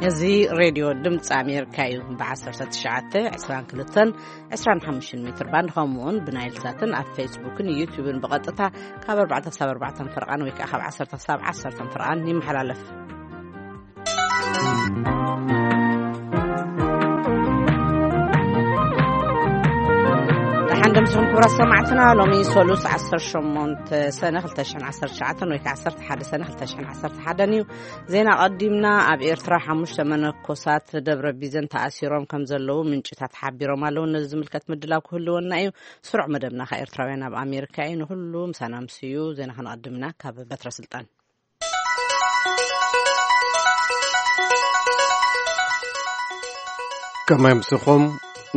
እዚ ሬድዮ ድምፂ ኣሜሪካ እዩ። ብ19፣ 22፣ 25 ሜትር ባንድ፣ ከምኡውን ብናይል ሳትን ኣብ ፌስቡክን ዩቲዩብን ብቐጥታ ካብ ኣርባዕተ ክሳብ ኣርባዕተ ፈርቓን ወይ ከዓ ካብ ዓሰርተ ክሳብ ዓሰርተ ፈርቓን ይመሓላለፍ። ደሓን ደምስኹም ክቡራት ሰማዕትና። ሎሚ ሶሉስ ዓሰርተ ሸሞንተ ሰነ ክልተ ሽሕን ዓሰርተ ትሽዓተን ወይ ከዓ ዓሰርተ ሓደ ሰነ ክልተ ሽሕን ዓሰርተ ሓደን እዩ። ዜና ቀዲምና። ኣብ ኤርትራ ሓሙሽተ መነኮሳት ደብረ ቢዘን ተኣሲሮም ከም ዘለዉ ምንጭታት ሓቢሮም ኣለዉ። ነዚ ዝምልከት ምድላው ክህልወና እዩ። ስሩዕ መደብና ከኣ ኤርትራውያን ኣብ ኣሜሪካ እዩ። ንኹሉ ምሳና ምስዩ። ዜና ክንቐድም ኢና ካብ በትረ ስልጣን። ከመይ ምስኹም?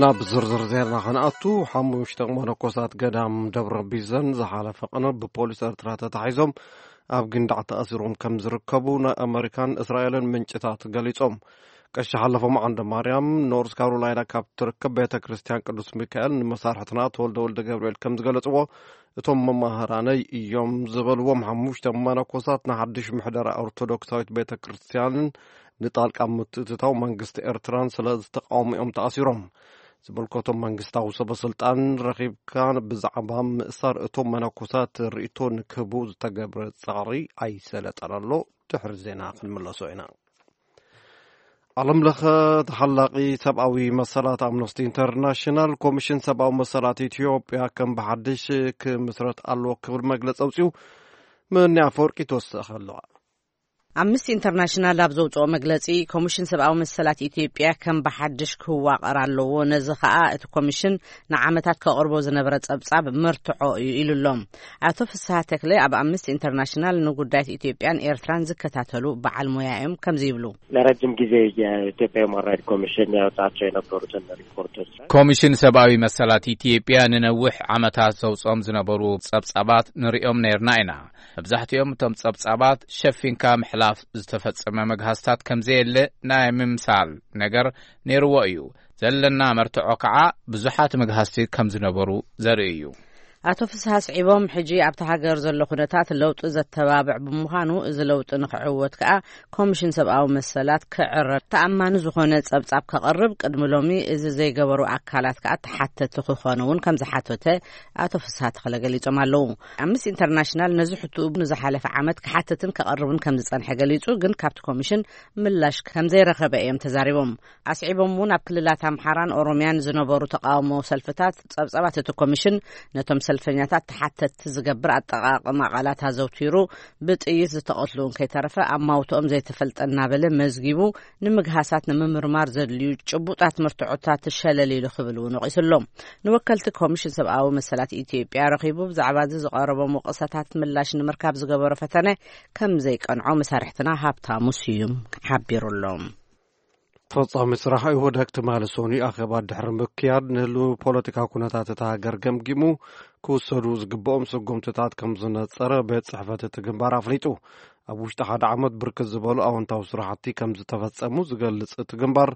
ናብ ዝርዝር ዜና ከነኣቱ። ሓሙሽተ መነኮሳት ገዳም ደብረ ቢዘን ዝሓለፈ ቅነ ብፖሊስ ኤርትራ ተታሒዞም ኣብ ግንዳዕ ተኣሲሮም ከም ዝርከቡ ናይ ኣመሪካን እስራኤልን ምንጭታት ገሊጾም። ቀሺ ሓለፎም ዓንደ ማርያም ኖርዝ ካሮላይና ካብ ትርከብ ቤተ ክርስቲያን ቅዱስ ሚካኤል ንመሳርሕትና ተወልደ ወልደ ገብርኤል ከም ዝገለጽዎ፣ እቶም መማህራነይ እዮም ዝበልዎም ሓሙሽተ መነኮሳት ንሓድሽ ምሕደራ ኦርቶዶክሳዊት ቤተ ክርስቲያንን ንጣልቃ ምትእትታው መንግስቲ ኤርትራን ስለ ዝተቃወሙ እዮም ተኣሲሮም። ዝምልከቶም መንግስታዊ ሰበ ስልጣን ረኺብካ ብዛዕባ ምእሳር እቶም መነኮሳት ርእይቶ ንክህቡ ዝተገብረ ጻዕሪ ኣይሰለጠን ኣሎ። ድሕሪ ዜና ክንምለሶ ኢና። ዓለም ለኸ ተሓላቒ ሰብኣዊ መሰላት ኣምነስቲ ኢንተርናሽናል፣ ኮሚሽን ሰብኣዊ መሰላት ኢትዮጵያ ከም ብሓድሽ ክምስረት ኣለዎ ክብል መግለጺ ኣውጺኡ ምንያ ኣፈወርቂ ትወስኽ ኣለዋ። ኣምነስቲ ኢንተርናሽናል ኣብ ዘውጽኦ መግለጺ፣ ኮሚሽን ሰብኣዊ መሰላት ኢትዮጵያ ከም ብሓድሽ ክዋቐር ኣለዎ፣ ነዚ ኸኣ እቲ ኮሚሽን ንዓመታት ከቕርቦ ዝነበረ ጸብጻብ መርትዖ እዩ ኢሉ ኣሎ። ኣቶ ፍስሃ ተክለ ኣብ ኣምነስቲ ኢንተርናሽናል ንጉዳያት ኢትዮጵያን ኤርትራን ዝከታተሉ በዓል ሞያ እዮም። ከምዚ ይብሉ። ለረጅም ጊዜ የኢትዮጵያ ሁማን ራይት ኮሚሽን ያወጣቸው የነበሩትን ሪፖርቶች ኮሚሽን ሰብኣዊ መሰላት ኢትዮጵያ ንነዊሕ ዓመታት ዘውጽኦም ዝነበሩ ጸብጻባት ንሪኦም ነይርና ኢና። መብዛሕትኦም እቶም ጸብጻባት ሸፊንካ ምሕላፍ ዝተፈጸመ መግሃስታት ከም ዘየለ ናይ ምምሳል ነገር ነይርዎ እዩ። ዘለና መርትዖ ከዓ ብዙሓት መግሃስቲ ከም ዝነበሩ ዘርኢ እዩ። ኣቶ ፍስሃ ኣስዒቦም፣ ሕጂ ኣብቲ ሃገር ዘሎ ኩነታት ለውጢ ዘተባብዕ ብምዃኑ፣ እዚ ለውጢ ንክዕወት ከዓ ኮሚሽን ሰብኣዊ መሰላት ክዕረር፣ ተኣማኒ ዝኾነ ጸብጻብ ከቕርብ፣ ቅድሚ ሎሚ እዚ ዘይገበሩ ኣካላት ከዓ ተሓተቲ ክኾኑ እውን ከም ዝሓተተ ኣቶ ፍስሃ ተኽለ ገሊጾም ኣለዉ። ኣምነስቲ ኢንተርናሽናል ነዚ ሕትኡ ንዝሓለፈ ዓመት ክሓትትን ከቕርብን ከም ዝጸንሐ ገሊጹ፣ ግን ካብቲ ኮሚሽን ምላሽ ከም ዘይረኸበ እዮም ተዛሪቦም። ኣስዒቦም እውን ኣብ ክልላት ኣምሓራን ኦሮምያን ዝነበሩ ተቃውሞ ሰልፍታት ጸብጻባት እቲ ኮሚሽን ነቶም ሰልፈኛታት ተሓተትቲ ዝገብር ኣጠቓቕማ ቃላት ኣዘውቲሩ፣ ብጥይት ዝተቐትሉ እውን ከይተረፈ ኣማውትኦም ዘይተፈልጠ እናበለ መዝጊቡ ንምግሃሳት ንምምርማር ዘድልዩ ጭቡጣት መርትዖታት ሸለል ኢሉ ክብል እውን ወቒሱ ኣሎ። ንወከልቲ ኮሚሽን ሰብኣዊ መሰላት ኢትዮጵያ ረኺቡ ብዛዕባ እዚ ዝቐረቦም ወቐሳታት ምላሽ ንምርካብ ዝገበሮ ፈተነ ከም ዘይቀንዖ መሳርሕትና ሃብታሙ ስዩም ሓቢሩ ኣሎ። ፈጻሚ ስራሕ ኢህወደግ ትማሊ ሰኑይ ኣኼባ ድሕሪ ምክያድ፣ ንህልው ፖለቲካዊ ኩነታት እታ ሃገር ገምጊሙ፣ ክውሰዱ ዝግብኦም ስጉምትታት ከም ዝነጸረ ቤት ጽሕፈት እቲ ግንባር ኣፍሊጡ። ኣብ ውሽጢ ሓደ ዓመት ብርክት ዝበሉ ኣወንታዊ ስራሕቲ ከም ዝተፈጸሙ ዝገልጽ እቲ ግንባር፣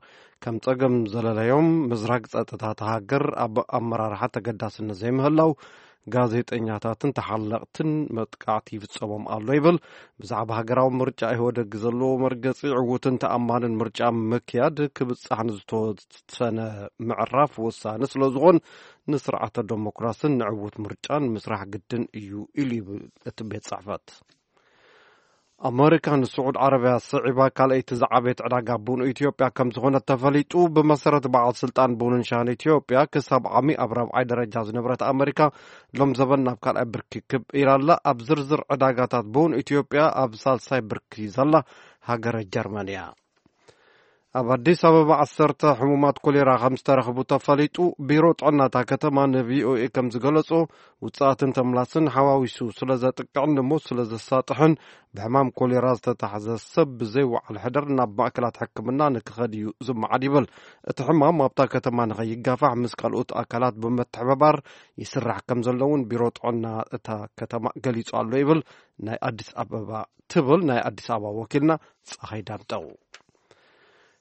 ከም ጸገም ዘለለዮም ምዝራግ ጸጥታ እታ ሃገር፣ ኣብ ኣመራርሓ ተገዳስነት ዘይምህላው፣ ጋዜጠኛታትን ተሓለቕትን መጥቃዕቲ ይፍጸሞም ኣሎ ይብል። ብዛዕባ ሃገራዊ ምርጫ ኢህወደግ ዘለዎ መርገጺ፣ ዕዉትን ተኣማንን ምርጫ ምክያድ ክብጻሕ ንዝተወሰነ ምዕራፍ ወሳኒ ስለ ዝኾን፣ ንስርዓተ ደሞክራስን ንዕዉት ምርጫን ምስራሕ ግድን እዩ ኢሉ ይብል እቲ ቤት ጽሕፈት። ኣመሪካ ንስዑድ ዓረብያ ስዒባ ካልኣይቲ ዝዓበየት ዕዳጋ ቡን ኢትዮጵያ ከም ዝኾነት ተፈሊጡ። ብመሰረት በዓል ስልጣን ቡንን ሻሂን ኢትዮጵያ፣ ክሳብ ዓሚ ኣብ ራብዓይ ደረጃ ዝነበረት ኣመሪካ፣ ሎም ዘበን ናብ ካልኣይ ብርኪ ክብ ኢላ ኣላ። ኣብ ዝርዝር ዕዳጋታት ቡን ኢትዮጵያ ኣብ ሳልሳይ ብርኪ ዘላ ሃገረ ጀርመን እያ። ኣብ ኣዲስ ኣበባ ዓሰርተ ሕሙማት ኮሌራ ከም ዝተረኽቡ ተፈሊጡ። ቢሮ ጥዕና እታ ከተማ ን ቪ ኦ ኤ ከም ዝገለጾ፣ ውጽኣትን ተምላስን ሓዋዊሱ ስለ ዘጥቅዕን ንሞት ስለ ዘሳጥሕን፣ ብሕማም ኮሌራ ዝተታሕዘ ሰብ ብዘይ ወዓል ሕደር ናብ ማእከላት ሕክምና ንክኸድ እዩ ዝመዓድ ይብል። እቲ ሕማም ኣብታ ከተማ ንኸይጋፋሕ ምስ ካልኦት ኣካላት ብምትሕብባር ይስራሕ ከም ዘሎ እውን ቢሮ ጥዕና እታ ከተማ ገሊጹ ኣሎ ይብል ናይ ኣዲስ ኣበባ፣ ትብል ናይ ኣዲስ ኣበባ ወኪልና ጸሃይ ዳምጠው።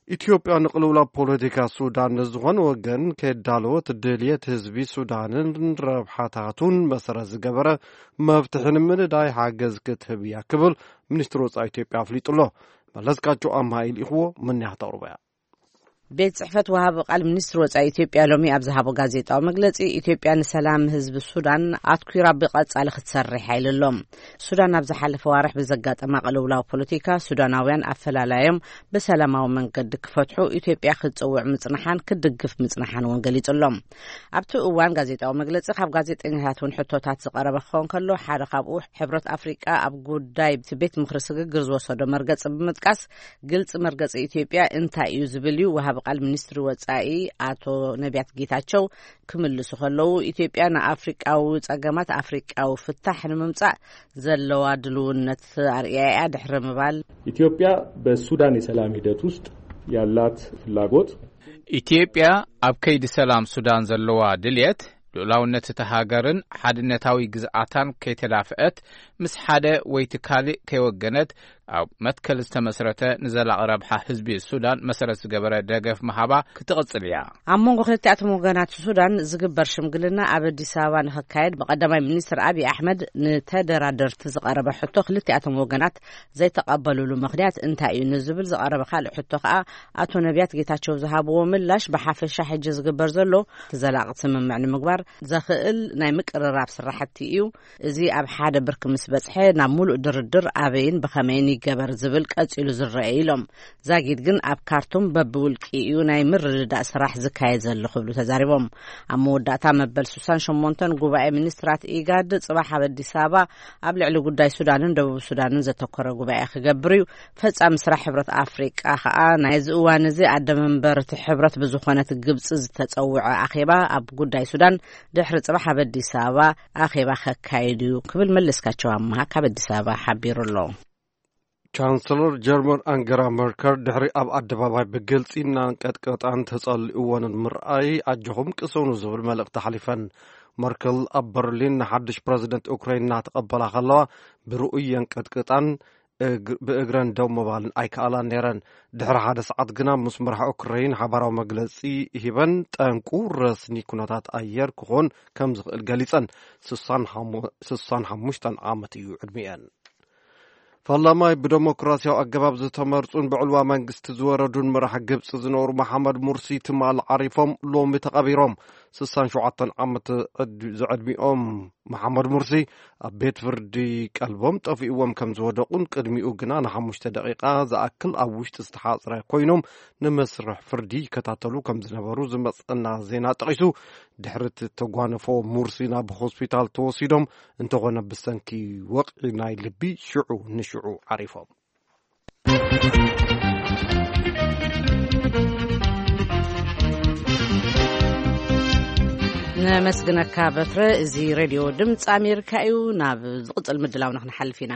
ኢትዮጵያ ንቅልውላው ፖለቲካ ሱዳን ንዝኾነ ወገን ከየዳለወት፣ ድልየት ህዝቢ ሱዳንን ረብሓታቱን መሰረት ዝገበረ መፍትሒ ንምንዳይ ሓገዝ ክትህብ እያ ክብል ሚኒስትሪ ወጻኢ ኢትዮጵያ ኣፍሊጡ ኣሎ። መለስካቸው ኣምሃ ኢልኢኽዎ፣ ምንያ ክተቕርቦ እያ። ቤት ጽሕፈት ወሃቢ ቃል ሚኒስትሪ ወጻኢ ኢትዮጵያ ሎሚ ኣብ ዝሃቦ ጋዜጣዊ መግለጺ፣ ኢትዮጵያ ንሰላም ህዝቢ ሱዳን ኣትኲራ ብቐጻሊ ክትሰርሕ ኢሉ ኣሎ። ሱዳን ኣብ ዝሓለፈ ዋርሕ ብዘጋጠማ ቅልውላው ፖለቲካ፣ ሱዳናውያን ኣፈላላዮም ብሰላማዊ መንገዲ ክፈትሑ ኢትዮጵያ ክትጽውዕ ምጽንሓን ክትድግፍ ምጽንሓን እውን ገሊጹ ኣሎ። ኣብቲ እዋን ጋዜጣዊ መግለጺ ካብ ጋዜጠኛታት እውን ሕቶታት ዝቐረበ ክኸውን ከሎ፣ ሓደ ካብኡ ሕብረት ኣፍሪቃ ኣብ ጉዳይ እቲ ቤት ምኽሪ ስግግር ዝወሰዶ መርገጺ ብምጥቃስ፣ ግልጺ መርገጺ ኢትዮጵያ እንታይ እዩ ዝብል እዩ። ወሃቢ ቃል ሚኒስትሪ ወጻኢ ኣቶ ነቢያት ጌታቸው ክምልሱ ከለዉ፣ ኢትዮጵያ ንኣፍሪቃዊ ጸገማት ኣፍሪቃዊ ፍታሕ ንምምጻእ ዘለዋ ድልውነት ኣርእያ እያ ድሕሪ ምባል፣ ኢትዮጵያ በሱዳን የሰላም ሂደት ውስጥ ያላት ፍላጎት ኢትዮጵያ ኣብ ከይዲ ሰላም ሱዳን ዘለዋ ድልየት፣ ልኡላውነት እታ ሃገርን ሓድነታዊ ግዝኣታን ከይተዳፍአት፣ ምስ ሓደ ወይ እቲ ካልእ ከይወገነት፣ ኣብ መትከል ዝተመስረተ ንዘላቒ ረብሓ ህዝቢ ሱዳን መሰረት ዝገበረ ደገፍ ምሃባ ክትቕጽል እያ። ኣብ መንጎ ክልቲኣቶም ወገናት ሱዳን ዝግበር ሽምግልና ኣብ ኣዲስ ኣበባ ንኽካየድ ብቀዳማይ ሚኒስትር ኣብይ ኣሕመድ ንተደራደርቲ ዝቐረበ ሕቶ ክልቲኣቶም ወገናት ዘይተቐበሉሉ ምኽንያት እንታይ እዩ ንዝብል ዝቐረበ ካልእ ሕቶ ከኣ ኣቶ ነቢያት ጌታቸው ዝሃብዎ ምላሽ፣ ብሓፈሻ ሕጂ ዝግበር ዘሎ እቲ ዘላቒ ስምምዕ ንምግባር ዘኽእል ናይ ምቅርራብ ስራሕቲ እዩ። እዚ ኣብ ሓደ ብርኪ ምስ በጽሐ ናብ ሙሉእ ድርድር ኣበይን ብኸመይን ይገበር ዝብል ቀጺሉ ዝረአ ኢሎም። ዛጊድ ግን ኣብ ካርቱም በብውልቂ እዩ ናይ ምርድዳእ ስራሕ ዝካየድ ዘሎ ክብሉ ተዛሪቦም። ኣብ መወዳእታ መበል ስሳን ሸሞንተን ጉባኤ ሚኒስትራት ኢጋድ ጽባሕ ኣብ ኣዲስ ኣበባ ኣብ ልዕሊ ጉዳይ ሱዳንን ደቡብ ሱዳንን ዘተኮረ ጉባኤ ክገብር እዩ። ፈጻሚ ስራሕ ሕብረት ኣፍሪቃ ከኣ ናይዚ እዋን እዚ ኣደ መንበር እቲ ሕብረት ብዝኾነት ግብጺ ዝተጸውዐ ኣኼባ ኣብ ጉዳይ ሱዳን ድሕሪ ጽባሕ ኣብ ኣዲስ ኣበባ ኣኼባ ከካይድ እዩ ክብል መለስካቸው ኣምሃ ካብ ኣዲስ ኣበባ ሓቢሩ ኣሎ። ቻንስለር ጀርመን ኣንገላ መርከል ድሕሪ ኣብ ኣደባባይ ብግልጺ እናንቀጥቀጣን ተጸሊእወንን ምርኣይ፣ ኣጆኹም ቅሰኑ ዝብል መልእኽቲ ሓሊፈን። መርከል ኣብ በርሊን ንሓድሽ ፕረዚደንት ኡክራይን እናተቐበላ ከለዋ፣ ብርኡይ የንቀጥቅጣን እግ-፣ ብእግረን ደው ምባልን ኣይከኣላን ነይረን። ድሕሪ ሓደ ሰዓት ግና ምስ መራሒ ኡክራይን ሓባራዊ መግለጺ ሂበን፣ ጠንቁ ረስኒ ኩነታት ኣየር ክኾን ከም ዝኽእል ገሊጸን። ስሳን ሓሙ-፣ ስሳን ሓሙሽተን ዓመት እዩ ዕድሚኤን። ፈላማይ ብደሞክራሲያዊ ኣገባብ ዝተመርጹን ብዕልዋ መንግስቲ ዝወረዱን መራሒ ግብጺ ዝነበሩ መሓመድ ሙርሲ ትማሊ ዓሪፎም፣ ሎሚ ተቐቢሮም። ስሳን ሸውዓተን ዓመት ዕድ-፣ ዝዕድሚኦም መሓመድ ሙርሲ ኣብ ቤት ፍርዲ ቀልቦም ጠፊእዎም ከም ዝወደቑን ቅድሚኡ ግና ንሓሙሽተ ደቂቓ ዝኣክል ኣብ ውሽጢ ዝተሓጽረ ኮይኖም ንመስርሕ ፍርዲ ይከታተሉ ከም ዝነበሩ ዝመጸና ዜና ጠቒሱ፣ ድሕሪ እቲ ተጓንፎ ሙርሲ ናብ ሆስፒታል ተወሲዶም፣ እንተኾነ ብሰንኪ ወቕዒ ናይ ልቢ ሽዑ ንሽዑ ዓሪፎም። ነመስግነካ በትረ። እዚ ሬድዮ ድምፂ ኣሜሪካ እዩ። ናብ ዝቕፅል ምድላውና ክንሓልፍ ኢና።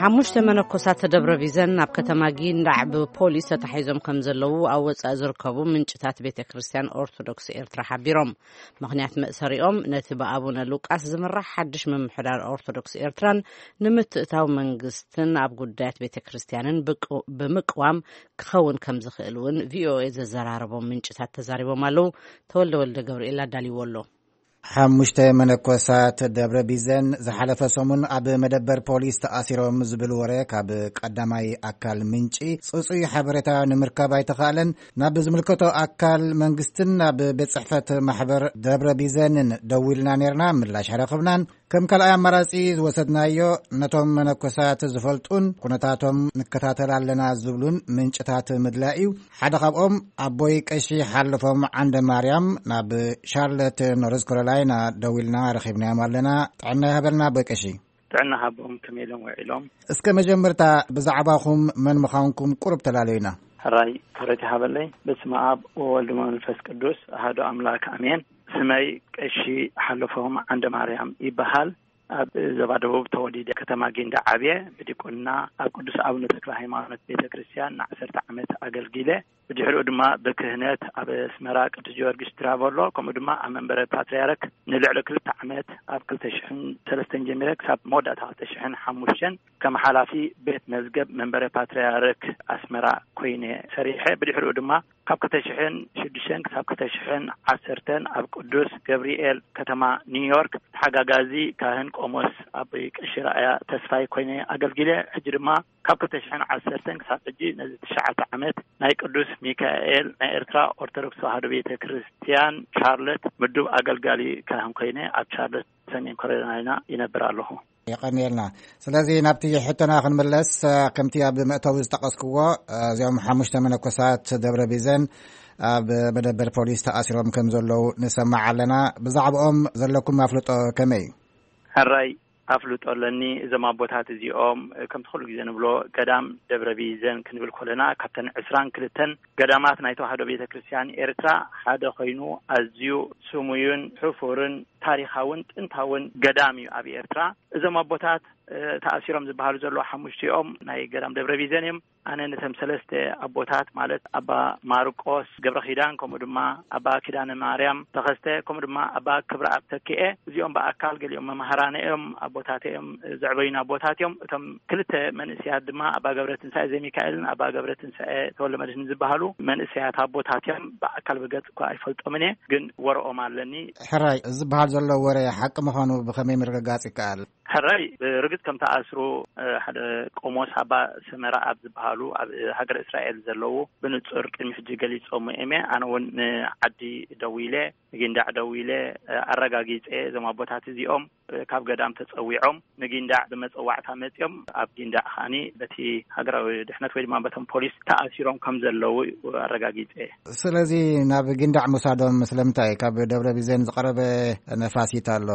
ሓሙሽተ መነኮሳት ደብረ ቢዘን ኣብ ከተማ ጊንዳዕ ብፖሊስ ተታሒዞም ከም ዘለዉ ኣብ ወጻኢ ዝርከቡ ምንጭታት ቤተ ክርስቲያን ኦርቶዶክስ ኤርትራ ሓቢሮም። ምኽንያት መእሰሪኦም ነቲ ብኣቡነ ሉቃስ ዝምራሕ ሓድሽ ምምሕዳር ኦርቶዶክስ ኤርትራን ንምትእታው መንግስትን ኣብ ጉዳያት ቤተ ክርስቲያንን ብቅ-፣ ብምቅዋም ክኸውን ከም ዝኽእል እውን ቪኦኤ ዘዘራረቦም ምንጭታት ተዛሪቦም ኣለዉ። ተወልደ ወልደ ገብርኤል ኣዳልይዎ ኣሎ። ሓሙሽተ መነኮሳት ደብረ ቢዘን ዝሓለፈ ሰሙን ኣብ መደበር ፖሊስ ተኣሲሮም ዝብል ወረ ካብ ቀዳማይ ኣካል ምንጪ ጽጹይ ሓበሬታ ንምርካብ ኣይተኻእለን። ናብ ዝምልከቶ ኣካል መንግስትን ናብ ቤት ጽሕፈት ማሕበር ደብረ ቢዘንን ደዊልና ኔርና፣ ምላሽ ኣይረኸብናን። ከም ካልኣይ ኣማራጺ ዝወሰድናዮ ነቶም መነኮሳት ዝፈልጡን ኩነታቶም ንከታተል ኣለና ዝብሉን ምንጭታት ምድላይ እዩ። ሓደ ካብኦም ኣቦይ ቀሺ ሓለፎም ዓንደ ማርያም ናብ ሻርለት ኖርዝ ካሮላይና ደዊልና ረኺብናዮም ኣለና። ጥዕና ይሃበልና ኣቦይ ቀሺ። ጥዕና ሃቦም፣ ከመይ ኢሎም ውዒሎም? እስከ መጀመርታ ብዛዕባኹም መን ምዃንኩም ቁሩብ ተላለዩና። ሕራይ ክብረት ይሃበለይ። በስመ ኣብ ወወልድ ወመንፈስ ቅዱስ ኣሐዱ ኣምላክ ኣሜን። ስመይ ቀሺ ሓለፎም ዓንደ ማርያም ይበሃል። ኣብ ዞባ ደቡብ ተወሊደ፣ ከተማ ጊንዳዕ ዓብየ። ብዲቁና ኣብ ቅዱስ ኣቡነ ተክለ ሃይማኖት ቤተ ክርስቲያን ንዓሰርተ ዓመት ኣገልጊለ። ብድሕሪኡ ድማ ብክህነት ኣብ ኣስመራ ቅዱስ ጊዮርጊስ ትራቨሎ፣ ከምኡ ድማ ኣብ መንበረ ፓትርያርክ ንልዕሊ ክልተ ዓመት፣ ኣብ ክልተ ሽሕን ሰለስተን ጀሚረ ክሳብ መወዳእታ ክልተ ሽሕን ሓሙሽተን ከም ሓላፊ ቤት መዝገብ መንበረ ፓትርያርክ ኣስመራ ኮይነ ሰሪሐ። ብድሕሪኡ ድማ ካብ ክልተ ሽሕን ሽዱሽተን ክሳብ ክልተ ሽሕን ዓሰርተን ኣብ ቅዱስ ገብርኤል ከተማ ኒውዮርክ ተሓጋጋዚ ካህን ቆሞስ ኣብ ቀሺ ራእያ ተስፋይ ኮይነ ኣገልጊለ። ሕጂ ድማ ካብ ክልተ ሽሕን ዓሰርተን ክሳብ ሕጂ ነዚ ትሽዓተ ዓመት ናይ ቅዱስ ሚካኤል ናይ ኤርትራ ኦርቶዶክስ ተዋህዶ ቤተ ክርስቲያን ቻርለት ምዱብ ኣገልጋሊ ካህን ኮይነ ኣብ ቻርለት ሰሜን ካሮላይና ይነብር ኣለኹ። የቐንየልና። ስለዚ ናብቲ ሕቶና ክንምለስ፣ ከምቲ ኣብ መእተዊ ዝጠቐስክዎ፣ እዚኦም ሓሙሽተ መነኮሳት ደብረ ቢዘን ኣብ መደበር ፖሊስ ተኣሲሮም ከም ዘለዉ ንሰማዕ ኣለና። ብዛዕባኦም ዘለኩም ኣፍልጦ ከመይ እዩ? ሕራይ ኣፍልጦ ኣለኒ። እዞም ኣቦታት እዚኦም ከምቲ ኩሉ ግዜ ንብሎ ገዳም ደብረ ቢዘን ክንብል ከለና ካብተን ዕስራን ክልተን ገዳማት ናይ ተዋህዶ ቤተ ክርስቲያን ኤርትራ ሓደ ኮይኑ ኣዝዩ ስሙዩን ሕፉርን ታሪኻውን ጥንታውን ገዳም እዩ ኣብ ኤርትራ። እዞም ኣቦታት ተኣሲሮም ዝበሃሉ ዘለዉ ሓሙሽቲኦም ናይ ገዳም ደብረ ቢዘን እዮም። ኣነ ነቶም ሰለስተ ኣቦታት ማለት ኣባ ማርቆስ ገብረ ኪዳን፣ ከምኡ ድማ ኣባ ኪዳነ ማርያም ተኸስተ፣ ከምኡ ድማ ኣባ ክብረኣብ ተኪኤ፣ እዚኦም ብኣካል ገሊኦም መማህራነ እዮም፣ ኣቦታተ እዮም፣ ዘዕበዩና ኣቦታት እዮም። እቶም ክልተ መንእስያት ድማ ኣባ ገብረ ትንሳኤ ዘሚካኤልን ኣባ ገብረ ትንሳኤ ተወልደ መድህን ዝበሃሉ መንእስያት ኣቦታት እዮም። ብኣካል ብገጽ እኳ ኣይፈልጦምን እየ፣ ግን ወረኦም ኣለኒ። ሕራይ፣ እዚ ዝበሃል ዘሎ ወረ ሓቂ ምዃኑ ብኸመይ ምርግጋጽ ይከኣል? ሕራይ ብርግጽ ከም ተኣስሩ ሓደ ቆሞስ ኣባ ሰመራ ኣብ ዝበሃሉ ኣብ ሃገረ እስራኤል ዘለዉ ብንጹር ቅድሚ ሕጂ ገሊጾም እዮም። ኣነ እውን ንዓዲ ደዊለ፣ ንጊንዳዕ ደዊለ ኣረጋጊጸ። እዞም ኣቦታት እዚኦም ካብ ገዳም ተጸዊዖም ንጊንዳዕ ብመጸዋዕታ መጺኦም ኣብ ጊንዳዕ ከኣኒ በቲ ሃገራዊ ድሕነት ወይ ድማ በቶም ፖሊስ ተኣሲሮም ከም ዘለዉ ኣረጋጊጸ። ስለዚ ናብ ጊንዳዕ ምውሳዶም ስለምንታይ? ካብ ደብረ ቢዘን ዝቐረበ ነፋሲት ኣሎ።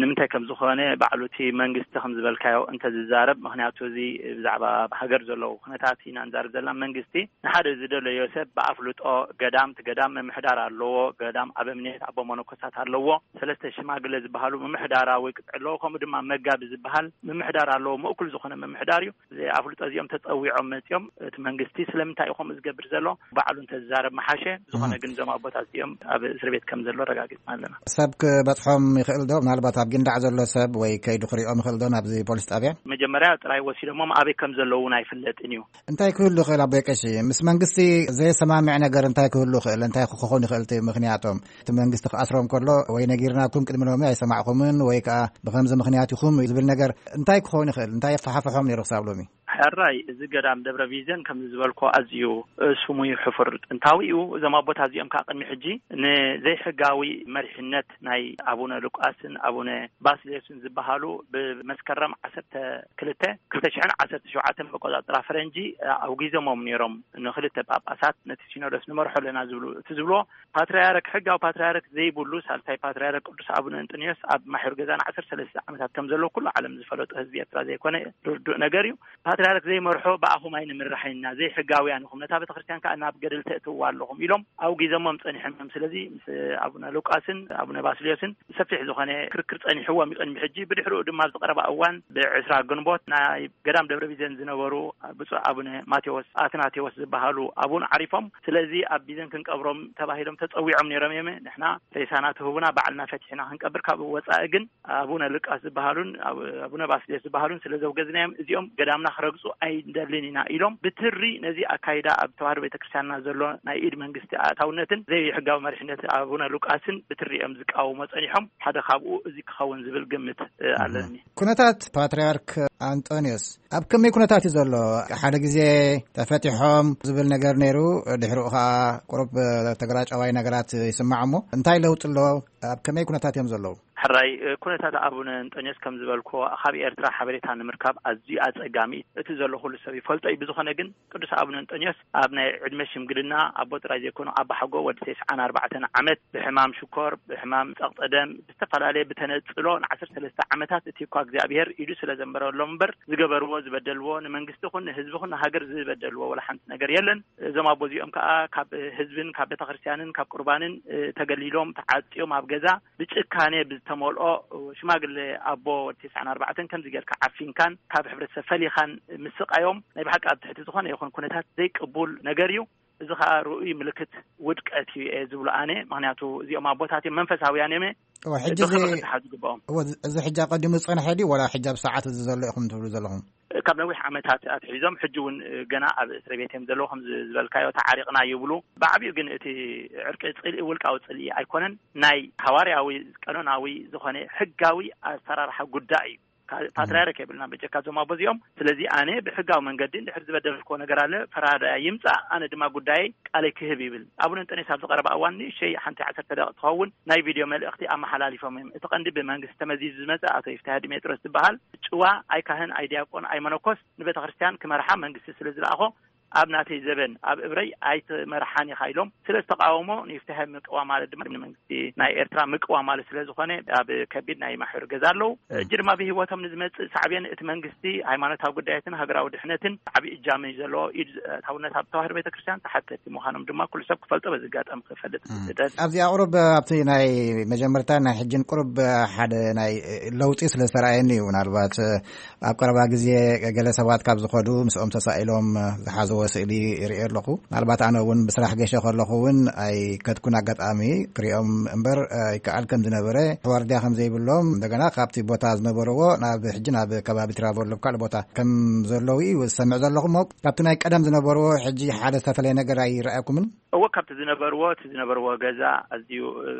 ንምንታይ ከም ዝኾነ ባዕሉ እቲ መንግስቲ ከም ዝበልካዮ እንተዝዛረብ፣ ምኽንያቱ እዚ ብዛዕባ ኣብ ሃገር ዘለዉ ኩነታት ኢና ንዛረብ ዘለና። መንግስቲ ንሓደ ዝደለዮ ሰብ ብኣፍልጦ ገዳም፣ እቲ ገዳም ምምሕዳር ኣለዎ፣ ገዳም ኣበምኔት ኣቦ መነኮሳት ኣለዎ፣ ሰለስተ ሽማግለ ዝበሃሉ ምምሕዳራዊ ቅጥዒ ኣለዎ፣ ከምኡ ድማ መጋቢ ዝበሃል ምምሕዳር ኣለዎ። ምእኩል ዝኾነ ምምሕዳር እዩ። እዚ ኣፍልጦ እዚኦም ተጸዊዖም መጺኦም፣ እቲ መንግስቲ ስለምንታይ እዩ ከምኡ ዝገብር ዘሎ ባዕሉ እንተዝዛረብ ምሓሸ። ዝኾነ እህ። ግን እዞም ኣቦታት እዚኦም ኣብ እስር ቤት ከም ዘሎ ኣረጋጊጽና ኣለና። ሰብ ክበጽሖም ይኽእል ዶ? ምናልባት ኣብ ጊንዳዕ ዘሎ ሰብ ወይ ከይዱ ክሪኦም ይኽእል ዶ ናብዚ ፖሊስ ጣብያ? መጀመርያ ጥራይ ወሲዶሞም ኣበይ ከም ዘለዉ እውን ኣይፍለጥን እዩ። እንታይ ክህሉ ይኽእል ኣቦይ ቀሺ? ምስ መንግስቲ ዘይሰማምዕ ነገር እንታይ ክህሉ ይኽእል? እንታይ ክኸውን ይኽእል እቲ ምኽንያቶም? እቲ መንግስቲ ክኣስሮም ከሎ ወይ ነጊርናኩም ቅድሚ ሎሚ ኣይሰማዕኩምን ወይ ከኣ ብኸምዚ ምኽንያት ኢኹም ዝብል ነገር እንታይ ክኸውን ይኽእል? እንታይ የፈሓፍሖም ነይሩ ክሳብ ሎሚ? ሕራይ፣ እዚ ገዳም ደብረ ቢዘን ከም ዝበልኮ ኣዝዩ፣ እ፣ ስሙይ ሕፉር ጥንታዊ እዩ። እዞም ኣቦታት እዚኦም ከዓ ቅድሚ ሕጂ ንዘይሕጋዊ መሪሕነት ናይ ኣቡነ ሉቃስን ኣቡነ ባስልዮስን ዝበሃሉ ብመስከረም ዓሰርተ ክልተ ክልተ ሽሕን ዓሰርተ ሸውዓተን መቆጻጽራ ፈረንጂ፣ እ፣ ኣውጊዞሞም ነይሮም። ንክልተ ጳጳሳት ነቲ ሲኖዶስ ንመርሖ ኣለና ዝብሉ፣ እቲ ዝብልዎ ፓትርያርክ፣ ሕጋዊ ፓትርያርክ ዘይብሉ ሳልሳይ ፓትርያርክ ቅዱስ ኣቡነ እንጦንዮስ ኣብ ማሕዩር ገዛና ዓሰርተ ሰለስተ ዓመታት ከም ዘሎ ኩሉ ዓለም ዝፈለጦ ህዝቢ ኤርትራ ዘይኮነ ርዱእ ነገር እዩ። ፓትርያርክ ዘይመርሖ ብኣኹም ኣይንምርሕን ኢና፣ ዘይሕጋውያን ኢኹም፣ ነታ ቤተክርስትያን ከኣ ናብ ገደል ተእትውዋ ኣለኹም ኢሎም ኣውጊዞሞም ጸኒሖም እዮም። ስለዚ ምስ ኣቡነ ሉቃስን ኣቡነ ባስልዮስን ሰፊሕ ዝኾነ ክርክር ጸኒሕዎም እዩ ቅድሚ ሕጂ። ብድሕሪኡ ድማ ኣብዚ ቀረባ እዋን ብዕስራ ግንቦት ናይ ገዳም ደብረ ቢዘን ዝነበሩ ብፁዕ ኣቡነ ማቴዎስ ኣትናቴዎስ ዝበሃሉ ኣቡን ዓሪፎም። ስለዚ ኣብ ቢዘን ክንቀብሮም ተባሂሎም ተጸዊዖም ነይሮም እዮም። ንሕና ሬሳና ትህቡና ባዕልና ፈቲሕና ክንቀብር፣ ካብ ወጻኢ ግን ኣቡነ ሉቃስ ዝበሃሉን ኣብ-፣ ኣቡነ ባስልዮስ ዝበሃሉን ስለ ዘውገዝናዮም እዚኦም ገዳምና ክረግጹ ኣይንደልን ኢና ኢሎም ብትሪ ነዚ ኣካይዳ ኣብ ተዋህዶ ቤተክርስትያንና ዘሎ ናይ ኢድ መንግስቲ ኣእታውነትን ዘይሕጋዊ መሪሕነት ኣቡነ ሉቃስን ብትሪ እዮም ዝቃወሞ ጸኒሖም። ሓደ ካብኡ እዚ ክኸውን ዝብል ግምት፣ እ፣ እህ። ኣለኒ። ኩነታት ፓትርያርክ ኣንጦንዮስ ኣብ ከመይ ኩነታት እዩ ዘሎ? ሓደ ግዜ ተፈቲሖም ዝብል ነገር ነይሩ፣ ድሕሪኡ ኸዓ ቁሩብ ተግራጫዋይ ነገራት ይስማዕ እሞ፣ እንታይ ለውጢ ኣሎ? ኣብ ከመይ ኩነታት እዮም ዘለዉ? ሕራይ፣ እ፣ ኩነታት ኣቡነ እንጦንዮስ ከም ዝበልኩዎ፣ ካብ ኤርትራ ሓበሬታ ንምርካብ ኣዝዩ ኣጸጋሚ እዩ። እቲ ዘሎ ኩሉ ሰብ ይፈልጦ እዩ። ብዝኾነ ግን፣ ቅዱስ ኣቡነ እንጦንዮስ ኣብ ናይ ዕድመ ሽምግልና ኣቦ ጥራይ ዘይኮኑ፣ ኣባሓጎ ወዲ ተስዓን ኣርባዕተን ዓመት ብሕማም ሽኮር፣ ብሕማም ጸቕጠ ደም፣ ብዝተፈላለየ ብተነጽሎ ንዓሰርተ ሰለስተ ዓመታት፣ እቲ እኳ እግዚኣብሔር ኢዱ ስለ ዘንበረሎም እምበር፣ ዝገበርዎ፣ ዝበደልዎ፣ ንመንግስቲ ኹን ንህዝቢ ኹን ንሃገር ዝበደልዎ ወላ ሓንቲ ነገር የለን። እዞም ኣቦ እዚኦም ከኣ ካብ ህዝብን ካብ ቤተክርስትያንን ካብ ቁርባንን፣ እ፣ ተገሊሎም፣ ተዓጽዮም ኣብ ገዛ ብጭካኔ ብዝተመልኦ ሽማግለ ኣቦ ወዲ ተስዓን ኣርባዕተን ከምዚ ጌርካ ዓፊንካን ካብ ሕብረተሰብ ፈሊኻን ምስቃዮም ናይ ብሓቂ ኣብ ትሕቲ ዝኾነ ይኹን ኩነታት ዘይቅቡል ነገር እዩ። እዚ ኸዓ ርኡይ ምልክት ውድቀት እዩ እየ ዝብሎ ኣነ። ምኽንያቱ እዚኦም ኣቦታት እዮም፣ መንፈሳውያን እዮም፣ እየ እወ፣ ሕጂ እዚ ብኽብሪ ክተሓዙ ግባኦም። እወ፣ እዚ ሕጂ ኣቐዲሙ ዝጸንሐ ድዩ፣ ወላ ሕጂ ኣብ ሰዓት እዚ ዘሎ ኢኹም ትብሉ ዘለኹም? ካብ ነዊሕ ዓመታት ኣትሒዞም ሕጂ እውን ገና ኣብ እስሪ ቤት እዮም ዘለዉ። ከም ዝበልካዮ ተዓሪቕና ይብሉ። ብዓቢኡ ግን እቲ ዕርቂ ጽልኢ፣ ውልቃዊ ጽልኢ ኣይኮነን። ናይ ሃዋርያዊ፣ ቀኖናዊ ዝኾነ ሕጋዊ ኣሰራርሓ ጉዳይ እዩ። ካ- ፓትርያርክ የብልና በጀካ እዞም ኣቦ እዚኦም። ስለዚ ኣነ ብሕጋዊ መንገዲ እንድሕር ዝበደልክዎ ነገር ኣለ፣ ፈራዳይ ይምጻእ፣ ኣነ ድማ ጉዳየይ ቃለይ ክህብ ይብል። ኣቡነ እንጠንዮስ ኣብዚ ቀረባ እዋን ንእሸይ ሓንቲ ዓሰርተ ደቂቕ ትኸውን ናይ ቪድዮ መልእኽቲ ኣመሓላሊፎም እዮም። እቲ ቀንዲ ብመንግስቲ ተመዚዙ ዝመጸ ኣቶ ይፍትሐ ዲሜጥሮስ ዝበሃል ጭዋ፣ ኣይ ካህን፣ ኣይ ዲያቆን፣ ኣይ መነኮስ፣ ንቤተ ክርስቲያን ክመርሓ መንግስቲ ስለ ዝለኣኾ፣ ኣብ ናተይ ዘበን ኣብ እብረይ ኣይትመርሓን ኢኻ ኢሎም ስለ ዝተቃወሞ፣ ንይፍትሐ ምቅዋ ማለት ድማ ንመንግስቲ ናይ ኤርትራ ምቅዋ ማለት ስለ ዝኾነ፣ ኣብ ከቢድ ናይ ማሕበር ገዛ ኣለዉ። ሕጂ ድማ ብህይወቶም ንዝመጽእ ሳዕቤን እቲ መንግስቲ ሃይማኖታዊ ጉዳያትን ሃገራዊ ድሕነትን ዓቢ እጃም እዩ ዘለዎ። ኢድ ኣታውነት ኣብ ተዋህዶ ቤተክርስትያን ተሓተቲ ምዃኖም ድማ ኩሉ ሰብ ክፈልጦ በዚ ኣጋጣሚ ክፈልጥ እም። ይደል። ኣብዚ ኣቕሩብ ኣብቲ ናይ መጀመርታ ናይ ሕጅን ቁሩብ ሓደ ናይ ለውጢ ስለ ዝተረኣየኒ እዩ። ምናልባት ኣብ ቀረባ ግዜ ገለ ሰባት ካብ ዝኸዱ ምስኦም ተሳኢሎም ዝሓዝዎ ስእሊ ይርኢ ኣለኹ። ምናልባት ኣነ እውን ብስራሕ ገሸ ከለኹ እውን ኣይከድኩን ኣጋጣሚ ክሪኦም እምበር ይከኣል ከም ዝነበረ፣ ዋርድያ ከም ዘይብሎም፣ እንደገና ካብቲ ቦታ ዝነበርዎ ናብ ሕጂ ናብ ከባቢ ትራቨሎ ካልእ ቦታ ከም ዘለዉ እዩ ዝሰምዕ ዘለኹ። እሞ ካብቲ ናይ ቀደም ዝነበርዎ ሕጂ ሓደ ዝተፈለየ ነገር ኣይረኣየኩምን? እወ፣ ካብቲ ዝነበርዎ፣ እቲ ዝነበርዎ ገዛ ኣዝዩ፣ እ፣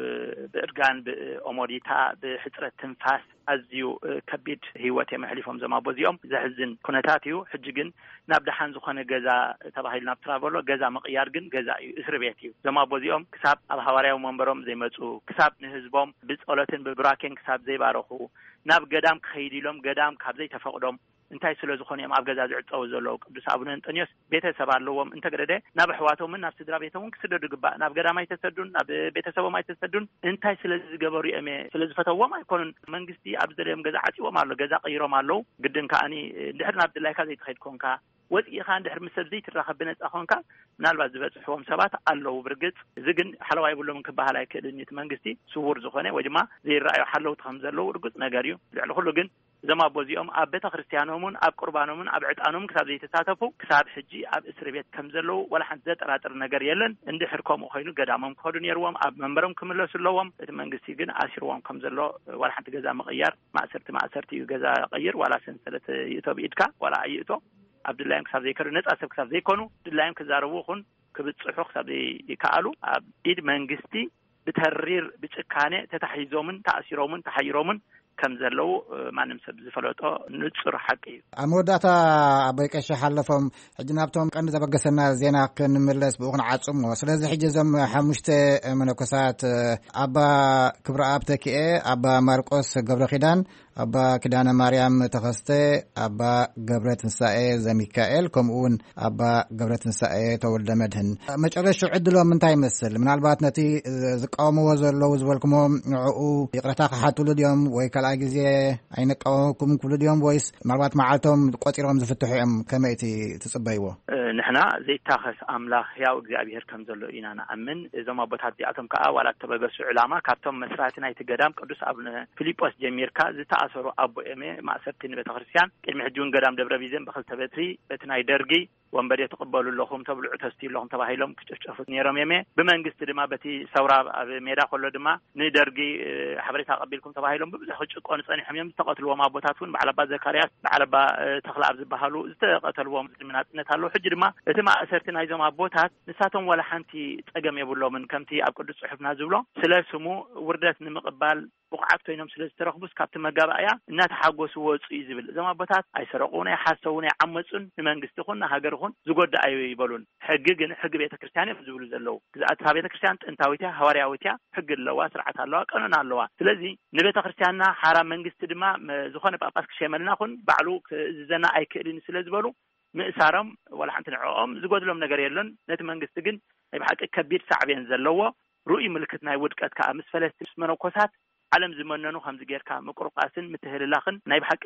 ብእርጋን፣ ብኦሞዲታ፣ ብሕጽረት ትንፋስ ኣዝዩ፣ እ፣ ከቢድ ህይወት እዮም ኣሕሊፎም እዞም ኣቦ እዚኦም። ዘሕዝን ኩነታት እዩ። ሕጂ ግን ናብ ደሓን ዝኾነ ገዛ ተባሂሉ ናብ ትራቨሎ፣ ገዛ ምቕያር ግን ገዛ እዩ፣ እስሪ ቤት እዩ። እዞም ኣቦ እዚኦም ክሳብ ኣብ ሃዋርያዊ መንበሮም ዘይመጹ፣ ክሳብ ንህዝቦም ብጸሎትን ብቡራኬን ክሳብ ዘይባረኹ፣ ናብ ገዳም ክኸይድ ኢሎም ገዳም ካብ ዘይተፈቕዶም፣ እንታይ ስለ ዝኾኑ እዮም ኣብ ገዛ ዝዕጸዉ ዘለዉ? ቅዱስ ኣቡነ እንጠንዮስ ቤተሰብ ኣለዎም። እንተገደደ ናብ ኣሕዋቶምን ናብ ስድራ ቤቶምን ክስደዱ ይግባእ። ናብ ገዳም ኣይተሰዱን፣ ናብ ቤተሰቦም ኣይተሰዱን። እንታይ ስለ ዝገበሩ እዮም? ስለ ዝፈተዎም ኣይኮኑን። መንግስቲ ኣብ ዝደለዮም ገዛ ዓጽዎም ኣሎ፣ ገዛ ቀይሮም ኣለዉ። ግድን ከኣኒ እንድሕር ናብ ድላይካ ዘይትኸይድ ኮንካ፣ ወጺእኻ እንድሕር ምስ ሰብ ዘይትራኸብ ብነጻ ኮንካ፣ ምናልባት ዝበጽሕዎም ሰባት ኣለዉ። ብርግጽ እዚ ግን ሓለዋ የብሎምን ክበሃል ኣይክእልን። እቲ መንግስቲ ስዉር ዝኾነ ወይ ድማ ዘይረኣዩ ሓለውቲ ከም ዘለዉ ርጉጽ ነገር እዩ። ልዕሊ ኩሉ ግን እዞም ኣቦ እዚኦም ኣብ ቤተ ክርስቲያኖምን ኣብ ቁርባኖምን ኣብ ዕጣኖምን ክሳብ ዘይተሳተፉ፣ ክሳብ ሕጂ ኣብ እስሪ ቤት ከም ዘለዉ ዋላ ሓንቲ ዘጠራጥር ነገር የለን። እንድሕር ከምኡ ኮይኑ ገዳሞም ክኸዱ ነይርዎም፣ ኣብ መንበሮም ክምለሱ ኣለዎም። እቲ መንግስቲ ግን ኣሲርዎም ከም ዘሎ፣ ዋላ ሓንቲ ገዛ ምቕያር፣ ማእሰርቲ ማእሰርቲ እዩ፣ ገዛ ቀይር ዋላ ሰንሰለት ይእቶ ብኢድካ ዋላ ኣይእቶ፣ ኣብ ድላዮም ክሳብ ዘይከዱ፣ ነጻ ሰብ ክሳብ ዘይኮኑ፣ ድላዮም ክዛረቡ ይኹን ክብጽሑ ክሳብ ዘይከኣሉ፣ ኣብ ኢድ መንግስቲ ብተሪር ብጭካኔ ተታሒዞምን ተኣሲሮምን ተሓይሮምን ከም ዘለዉ፣ እ፣ ማንም ሰብ ዝፈለጦ ንጹር ሓቂ እዩ። ኣብ መወዳእታ ኣቦይ ቀሺ ሓለፎም፣ ሕጂ ናብቶም ቀንዲ ዘበገሰና ዜና ክንምለስ ብኡ ክንዓጽሞ። ስለዚ ሕጂ እዞም ሓሙሽተ መነኮሳት፣ እ፣ ኣባ ክብረኣብ ተኪኤ፣ ኣባ ማርቆስ ገብረ ኪዳን፣ ኣባ ኪዳነ ማርያም ተኸስተ፣ ኣባ ገብረ ትንሳኤ ዘሚካኤል፣ ከምኡ እውን ኣባ ገብረ ትንሳኤ ተወልደ መድህን። መጨረሻ ዕድሎም እንታይ ይመስል? ምናልባት ነቲ ዝቃወምዎ ዘለዉ ዝበልኩሞ ንዕኡ ይቕረታ ክሓትሉ ድዮም? ወይ ካልኣይ ግዜ ኣይንቃወመኩም ክብሉ ድዮም? ወይስ ምናልባት መዓልቶም ቆጺሮም ዝፍትሑ እዮም? ከመይ እቲ ትጽበይዎ? እ፣ ንሕና ዘይታኸስ ኣምላኽ ሕያው እግዚኣብሔር ከም ዘሎ ኢና ንኣምን። እዞም ኣቦታት እዚኣቶም ከኣ ዋላ እተበገሱ ዕላማ ካብቶም መስራቲ ናይቲ ገዳም ቅዱስ ኣቡነ ፊልጶስ ጀሚርካ ዝተኣሰሩ ኣቦ እዮም። ማእሰርቲ ንቤተ ክርስቲያን ቅድሚ ሕጂ እውን ገዳም ደብረ ቢዘን ብክልተ በትሪ በቲ ናይ ደርጊ ወንበዴ ትቕበሉ ኣለኹም፣ ተብልዑ ተስትዩ ኣለኹም ተባሂሎም ክጭፍጨፉ ነይሮም እዮም። ብመንግስቲ ድማ በቲ ሰውራ ኣብ ሜዳ ከሎ ድማ ንደርጊ፣ እ፣ ሓበሬታ ኣቐቢልኩም ተባሂሎም ብብዙሕ ክጭቆኑ ጸኒሖም እዮም። ዝተቐትልዎም ኣቦታት እውን በዓል ኣባ ዘካርያስ፣ በዓል ኣባ፣ እ፣ ተኽለኣብ ዝበሃሉ ዝተቐተልዎም ቅድሚ ናጽነት ኣለዉ። ሕጂ ድማ እቲ ማእሰርቲ ናይዞም ኣቦታት ንሳቶም ዋላ ሓንቲ ጸገም የብሎምን። ከምቲ ኣብ ቅዱስ ጽሑፍና ዝብሎ ስለ ስሙ ውርደት ንምቕባል ብቑዓት ኮይኖም ስለ ዝተረኽቡስ ካብቲ መጋባእያ እናተሓጎሱ ወጹ እዩ ዝብል። እዞም ኣቦታት ኣይሰረቑን፣ ኣይሓሰውን፣ ኣይዓመጹን፣ ንመንግስቲ ይኹን ንሃገር ይኹን ዝጎድእ ኣይበሉን። ሕጊ ግን ሕጊ ቤተ ክርስቲያን እዮም ዝብሉ ዘለዉ። ግዝኣት እታ ቤተ ክርስቲያን ጥንታዊት እያ፣ ሃዋርያዊት እያ፣ ሕጊ ኣለዋ፣ ስርዓት ኣለዋ፣ ቀኖና ኣለዋ። ስለዚ ንቤተ ክርስቲያንና ሓራ መንግስቲ ድማ መ-፣ ዝኾነ ጳጳስ ክሸመልና ኹን ባዕሉ ክእዝዘና ኣይክእልን ስለ ዝበሉ ምእሳሮም ዋላ ሓንቲ ንዕኦም ዝጎድሎም ነገር የሎን። ነቲ መንግስቲ ግን ናይ ብሓቂ ከቢድ ሳዕቤን ዘለዎ ርኡይ ምልክት ናይ ውድቀት ከኣ ምስ ፈለስቲ ምስ መነኮሳት ዓለም ዝመነኑ ከምዚ ጌርካ ምቁርቃስን ምትህልላኽን ናይ ብሓቂ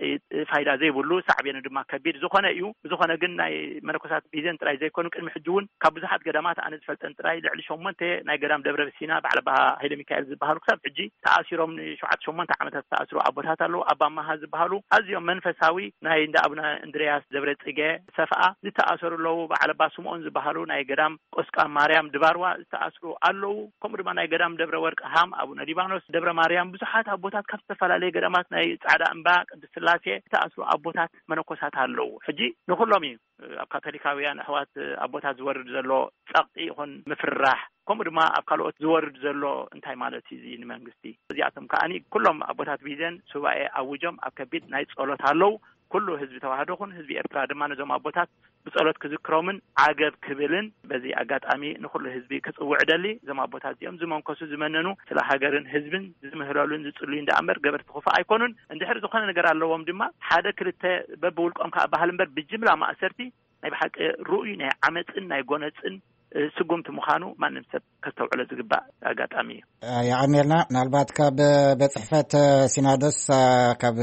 ፋይዳ ዘይብሉ፣ ሳዕቤኑ ድማ ከቢድ ዝኾነ እዩ። ብዝኾነ ግን ናይ መነኮሳት ቢዘን ጥራይ ዘይኮኑ፣ ቅድሚ ሕጂ እውን ካብ ብዙሓት ገዳማት ኣነ ዝፈልጠን ጥራይ ልዕሊ ሸሞንተ ናይ ገዳም ደብረ ሲና በዓል ኣባ ሃይለ ሚካኤል ዝበሃሉ ክሳብ ሕጂ ተኣሲሮም ንሸውዓተ ሸሞንተ ዓመታት ዝተኣስሩ ኣቦታት ኣለዉ። ኣባ መሃ ዝበሃሉ ኣዝዮም መንፈሳዊ ናይ እንዳ ኣቡነ እንድርያስ ደብረ ጽገ ሰፍኣ ዝተኣሰሩ ኣለዉ። በዓል ኣባ ስምኦን ዝበሃሉ ናይ ገዳም ቆስቃ ማርያም ድባርዋ ዝተኣስሩ ኣለዉ። ከምኡ ድማ ናይ ገዳም ደብረ ወርቅ ሃም፣ ኣቡነ ሊባኖስ፣ ደብረ ማርያም፣ ብዙሓት ኣቦታት ካብ ዝተፈላለየ ገዳማት ናይ ጻዕዳ እምባ፣ ቅድስት ስላሴ ዝተኣስሩ ኣቦታት መነኮሳት ኣለዉ። ሕጂ ንኹሎም እዩ ኣብ ካቶሊካውያን ኣሕዋት ኣቦታት ዝወርድ ዘሎ ጸቕጢ ይኹን ምፍርራሕ፣ ከምኡ ድማ ኣብ ካልኦት ዝወርድ ዘሎ እንታይ ማለት እዩ እዚ ንመንግስቲ? እዚኣቶም ከኣኒ ኩሎም ኣቦታት ቢዘን ሱባኤ ኣውጆም ኣብ ከቢድ ናይ ጸሎት ኣለዉ። ኩሉ ህዝቢ ተዋህዶ ኹን ህዝቢ ኤርትራ ድማ ነዞም ኣቦታት ብጸሎት ክዝክሮምን ዓገብ ክብልን በዚ ኣጋጣሚ ንኹሉ ህዝቢ ክጽውዕ እደሊ። እዞም ኣቦታት እዚኦም ዝመንከሱ ዝመነኑ ስለ ሃገርን ህዝብን ዝምህለሉን ዝጽልዩን ደኣ እምበር ገበርቲ ክፉእ ኣይኮኑን። እንድሕር ዝኾነ ነገር ኣለዎም ድማ ሓደ ክልተ በብውልቆም ከኣ በሃል እምበር ብጅምላ ማእሰርቲ ናይ ብሓቂ ርኡይ ናይ ዓመጽን ናይ ጎነጽን እ፣ ስጉምቲ ምዃኑ ማንም ሰብ ከስተውዕሎ ዝግባእ ኣጋጣሚ እዩ። የቐንየልና። ምናልባት ካብ ቤት ጽሕፈት ሲናዶስ፣ እ፣ ካብ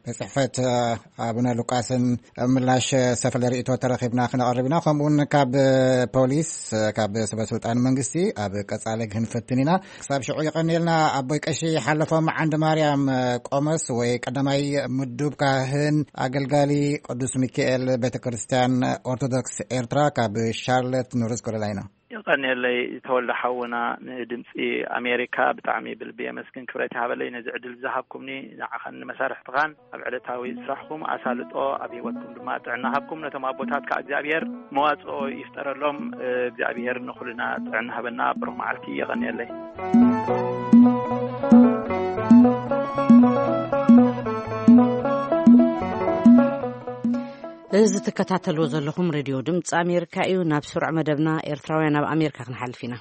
ቤት ጽሕፈት፣ እ፣ ኣቡነ ሉቃስን ምላሽ ሰፈለ ርእይቶ ተረኺብና ክነቐርብ ኢና። ከምኡውን ካብ ፖሊስ፣ እ፣ ካብ ሰበ ስልጣን መንግስቲ ኣብ ቀጻሊ ክንፈትን ኢና። ክሳብ ሽዑ የቐንየልና ኣቦይ ቀሺ ሓለፎም ዓንዲ ማርያም፣ እ፣ ቆሞስ ወይ ቀዳማይ ምዱብ ካህን ኣገልጋሊ ቅዱስ ሚካኤል ቤተ ክርስቲያን ኦርቶዶክስ ኤርትራ ካብ ሻርለት ኖርዝ ካሮላይና። የቐንየለይ ተወልደ ሓውና፣ ንድምፂ ኣሜሪካ ብጣዕሚ ብልቢ የመስግን። ክብረት ይሃበለይ ነዚ ዕድል ዝሃብኩምኒ፣ ንዓኻን ንመሳርሕትኻን ኣብ ዕለታዊ ስራሕኩም ኣሳልጦ ኣብ ህይወትኩም ድማ ጥዕና ሃብኩም። ነቶም ኣቦታት ከዓ እግዚኣብሔር መዋፅኦ ይፍጠረሎም። እግዚኣብሔር ንኹልና ጥዕና ሃበና። ብሩኽ መዓልቲ። የቐንየለይ። እዚ ትከታተልዎ ዘለኹም ሬድዮ ድምፂ ኣሜሪካ እዩ። ናብ ስሩዕ መደብና ኤርትራውያን ኣብ ኣሜሪካ ክንሓልፍ ኢና።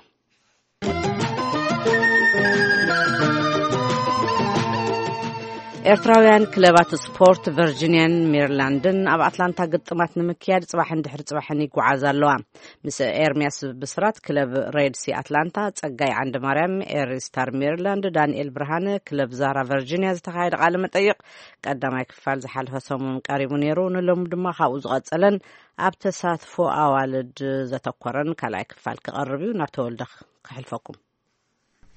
ኤርትራውያን ክለባት ስፖርት ቨርጂንያን ሜሪላንድን ኣብ ኣትላንታ ግጥማት ንምክያድ ጽባሕን ድሕሪ ጽባሕን ይጓዓዛ ኣለዋ። ምስ ኤርሚያስ ብስራት ክለብ ሬድሲ ኣትላንታ፣ ጸጋይ ዓንደ ማርያም ኤሪ ስታር ሜሪላንድ፣ ዳንኤል ብርሃነ ክለብ ዛራ ቨርጂንያ ዝተኻየደ ቃለ መጠይቕ ቀዳማይ ክፋል ዝሓለፈ ሰሙን ቀሪቡ ነይሩ። ንሎሚ ድማ ካብኡ ዝቐጸለን ኣብ ተሳትፎ ኣዋልድ ዘተኮረን ካልኣይ ክፋል ክቐርብ እዩ። ናብ ተወልደ ከሕልፈኩም።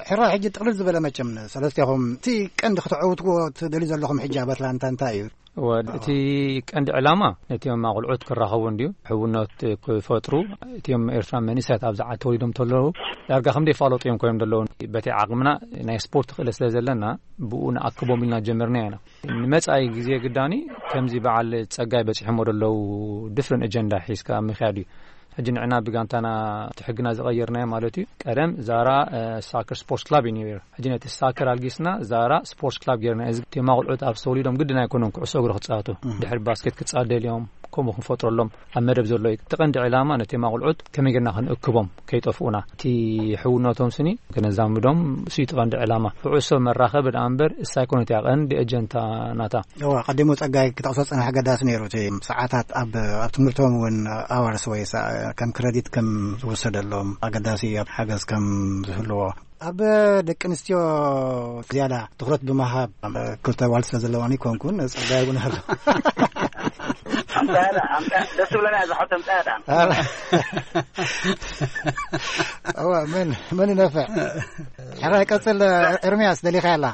ሕራይ ሕጂ ጥቕልል ዝበለ መቸም ንሰለስቴኹም እቲ ቀንዲ ክትዕውትዎ ትደልዩ ዘለኹም ሕጂ ኣብ ኣትላንታ እንታይ እዩ? እወ፣ እቲ ቀንዲ ዕላማ ነቲኦም ኣቑልዑት ክራኸቡ እንድዩ፣ ሕውነት ክፈጥሩ። እቲኦም ኤርትራ መንእሰያት ኣብዛ ዓዲ ተወሊዶም ተለዉ ዳርጋ ከም ዘይፋለጡ እዮም ኮይኖም ዘለዉ። በቲ ዓቕምና ናይ ስፖርት ክእለት ስለ ዘለና ብኡ ንኣክቦም ኢልና ጀመርና ኢና። ንመጻኢ ግዜ ግዳኒ ከምዚ በዓል ጸጋይ በጺሖሞ ዘለዉ ድፍርን ኣጀንዳ ሒዝካ ምኽያድ እዩ። ሕጂ ንዕና ብጋንታና እቲ ሕግና ዝቐየርናዮ ማለት እዩ። ቀደም ዛራ፣ እ፣ ሳከር ስፖርት ክላብ እዩ ነይሩ። ሕጂ ነቲ ሳከር ኣልጊስና ዛራ ስፖርት ክላብ ጌርና። እዚ ቴማ ቁልዑት ኣብ ተወሊዶም ግድን ኣይኮኑን ኩዕሶ እግሪ ክጻወቱ። እህ። ድሕሪ ባስኬት ክጻወቱ ደልዮም ከምኡ ክንፈጥረሎም ኣብ መደብ ዘሎ እዩ። እቲ ቀንዲ ዕላማ ነቲ ቴማ ቁልዑት ከመይ ጌርና ክንእክቦም ከይጠፍኡና። እቲ ሕውነቶም ስኒ ከነዛምዶም እሱ እዩ እቲ ቀንዲ ዕላማ። ኩዕሶ መራኸቢ ደኣ እምበር እሳ ኣይኮነት እያ ቀንዲ ኣጀንታ ናታ። እዋ፣ ቀዲሙ ጸጋይ ክጠቕሶ ዝጸንሐ ኣገዳሲ ነይሩ። እቲ ሰዓታት ኣብ፣ ኣብ ትምህርቶም እውን ኣዋርስ ወይ ሰ-፣ ከም ክረዲት ከም ዝወሰደሎም ኣገዳሲ እዩ፣ ኣብ ሓገዝ ከም ዝህልዎ። ኣብ ደቂ ኣንስትዮ ዝያዳ ትኹረት ብምሃብ፣ ክልተ ኣዋልድ ስለ ዘለዋኒ ይኮንኩን፣ ጸጋይ እውን ኣሎ። ኣምጻያ ዳ፣ ኣምጻያ፣ ደስ ዝብለና እያ ዝሓቶ፣ ኣምጻያ ዳ። ኣረ። እዋ፣ መን፣ መን ይነፍዕ? ሕራይ ቀጽል፣ ኤርምያስ፣ ደሊኻ ያላ።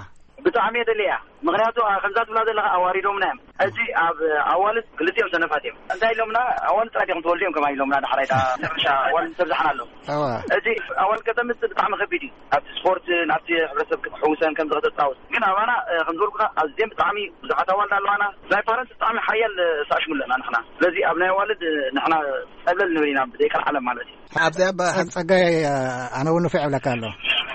ብጣዕሚ እየ ደልያ። ምኽንያቱ፣ ኣ፣ ከምዛ ትብላ ዘለኻ ኣዋሪዶምና እዮም። ሕጂ ኣብ ኣዋልድ ክልቲኦም ሰነፋት እዮም። እንታይ ኢሎምና? ኣዋልድ ጥራይ ዲኹም ትወልዱ እዮም ከማን ኢሎምና። ዳሕራይ ዳ መጨረሻ ኣዋልድ ተብዝሓና ኣለዉ። እዋ። ሕጂ ኣዋልድ ከተምጽእ ብጣዕሚ ከቢድ እዩ። ኣብቲ ስፖርት፣ ናብቲ ሕብረተሰብ ክትሕውሰን ከምዚ ከተጻውት። ግን ኣባና፣ እ፣ ከም ዝበልኩኻ ኣዝየን ብጣዕሚ ብዙሓት ኣዋልድ ኣለዋና። ናይ ፓረንት ብጣዕሚ ሓያል፣ እ፣ ሳሽሙ ኣለና ንሕና። ስለዚ ኣብ ናይ ኣዋልድ፣ እ፣ ንሕና ጸብለል ንብል ኢና ብዘይቀልዓለም ማለት እዩ። ኣብዚ ኣብ ኣብ ጸጋይ፣ እ፣ ኣነ እውን ንፉዕ እብለካ ኣሎ።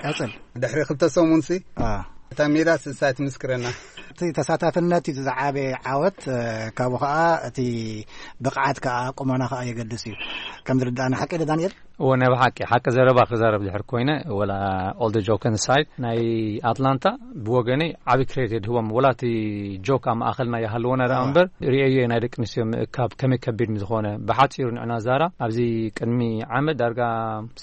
ቀጽል። ድሕሪ ክልተ ሰሙንሲ አ። እታ ሜዳ ስሳ ትምስክረና። እቲ ተሳታፍነት እዩ ዝዓበየ ዓወት፣ እ፣ ካብኡ ኸዓ እቲ ብቕዓት ከኣ ቁመና ኸኣ የገድስ እዩ። ከም ዝርድኣኒ ሓቂ ዶ ዳንኤል? እወ፣ ናይ ብሓቂ ሓቂ ዘረባ ክዛረብ ድሕር ኮይነ፣ ወላ all the joke aside፣ ናይ ኣትላንታ ብወገነይ ዓቢ ክሬዲት ህቦም። ወላ እቲ ጆክ ኣብ ማእኸልና ይሃልዎ ነራ እምበር፣ ርእየዮ ናይ ደቂ ኣንስትዮ ምእካብ ከመይ ከቢድ ምዝኾነ። ብሓጺሩ ንዕና ዛራ ኣብዚ ቅድሚ ዓመት ዳርጋ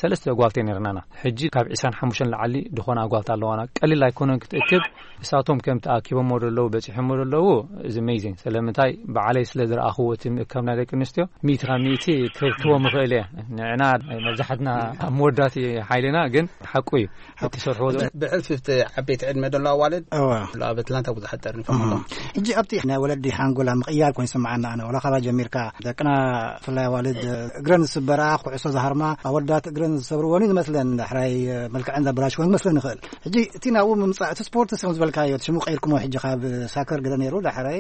ሰለስተ ኣጓልተ ነርናና። ሕጂ ካብ ዕስራን ሓሙሽተን ላዕሊ ዝኾነ ኣጓልታ ኣለዋና። ቀሊል ኣይኮነን ክትእክብ። እሳቶም ከም ተኣኪቦሞ ዘለዉ፣ በጺሖሞ ዘለዉ፣ እዚ ኣሜዚንግ። ስለምንታይ፣ ባዕለይ ስለ ዝረኣኽዎ እቲ ምእካብ ናይ ደቂ ኣንስትዮ፣ ሚእቲ ካብ ሚእቲ ክረድትዎ ምኽእል እየ። ንዕና መብዛሕትና ኣብ መወዳእቲ ሓይልና፣ ግን ሓቁ እዩ። እቲ ሰርሕዎ ዘሎ ብሕልፊ ኣብቲ ዓበይቲ ዕድመ ዘሎ ኣዋልድ እዋ። ኣብ ኣትላንታ ብዙሓት ጠርኒፎም ኣለዉ። ሕጂ ኣብቲ ናይ ወለዲ ሓንጎላ ምቕያር ኮይኑ ይስምዓና። ኣነ ወላ ካባ ጀሚርካ ደቅና፣ ብፍላይ ኣዋልድ፣ እግረን ዝስበራ፣ ኩዕሶ ዝሃርማ ኣወዳት እግረን ዝሰብርወን እዩ ዝመስለን። ዳሕራይ መልክዐን ዘበላሽወን ዝመስለን ይኽእል። ሕጂ እቲ ናብኡ ምምጻእ፣ እቲ ስፖርት ስ ዝበልካዮ፣ እቲ ሽሙ ቀይርኩሞ፣ ሕጂ ካብ ሳከር ገለ ነይሩ፣ ዳሕራይ